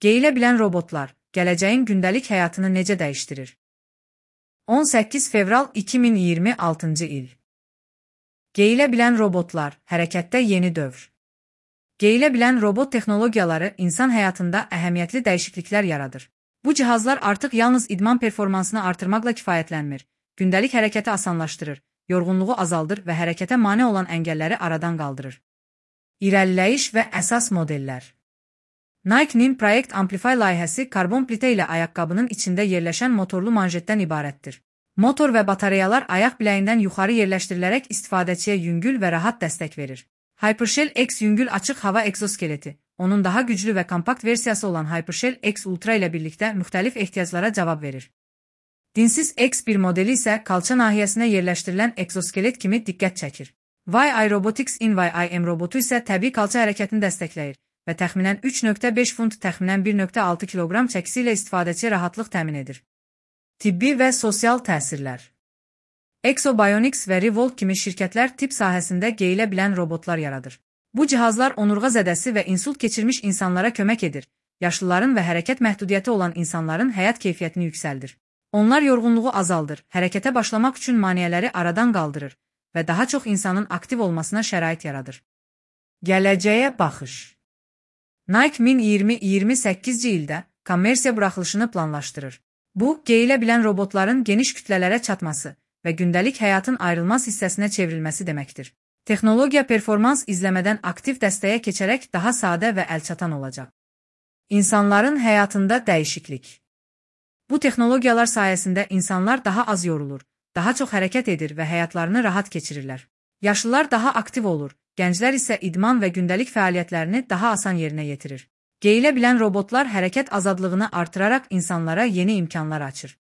Geyilə bilən robotlar gələcəyin gündəlik həyatını necə dəyişdirir? 18 fevral 2026-cı il. Geyilə bilən robotlar hərəkətdə yeni dövr. Geyilə bilən robot texnologiyaları insan həyatında əhəmiyyətli dəyişikliklər yaradır. Bu cihazlar artıq yalnız idman performansını artırmaqla kifayətlənmir, gündəlik hərəkəti asanlaşdırır, yorğunluğu azaldır və hərəkətə mane olan əngəlləri aradan qaldırır. İrəliləyiş və əsas modellər. Nike-nin Project Amplify layihəsi karbon plitə ilə ayaqqabının içində yerləşən motorlu manjetdən ibarətdir. Motor və batareyalar ayaq biləyindən yuxarı yerləşdirilərək istifadəçiyə yüngül və rahat dəstək verir. Hypershell X yüngül açıq hava egzoskeleti, onun daha güclü və kompakt versiyası olan Hypershell X Ultra ilə birlikdə müxtəlif ehtiyaclara cavab verir. Dinsiz X1 modeli isə kalça nahiyəsinə yerləşdirilən egzoskelet kimi diqqət çəkir. YI Robotics in YIM robotu isə təbii kalça hərəkətini dəstəkləyir və təxminən 3,5 funt təxminən 1,6 kiloqram çəkisi ilə istifadəçiyə rahatlıq təmin edir. Tibbi və sosial təsirlər. Exobionics və Revolt kimi şirkətlər tibb sahəsində geyilə bilən robotlar yaradır. Bu cihazlar onurğa zədəsi və insult keçirmiş insanlara kömək edir, yaşlıların və hərəkət məhdudiyyəti olan insanların həyat keyfiyyətini yüksəldir. Onlar yorğunluğu azaldır, hərəkətə başlamaq üçün maneələri aradan qaldırır və daha çox insanın aktiv olmasına şərait yaradır. Gələcəyə baxış. Nike 2028-ci ildə kommersiya buraxılışını planlaşdırır. Bu, geyilə bilən robotların geniş kütlələrə çatması və gündəlik həyatın ayrılmaz hissəsinə çevrilməsi deməkdir. Texnologiya performans izləmədən aktiv dəstəyə keçərək daha sadə və əlçatan olacaq. İnsanların həyatında dəyişiklik. Bu texnologiyalar sayəsində insanlar daha az yorulur, daha çox hərəkət edir və həyatlarını rahat keçirirlər. Yaşlılar daha aktiv olur, gənclər isə idman və gündəlik fəaliyyətlərini daha asan yerinə yetirir. Geyilə bilən robotlar hərəkət azadlığını artıraraq insanlara yeni imkanlar açır.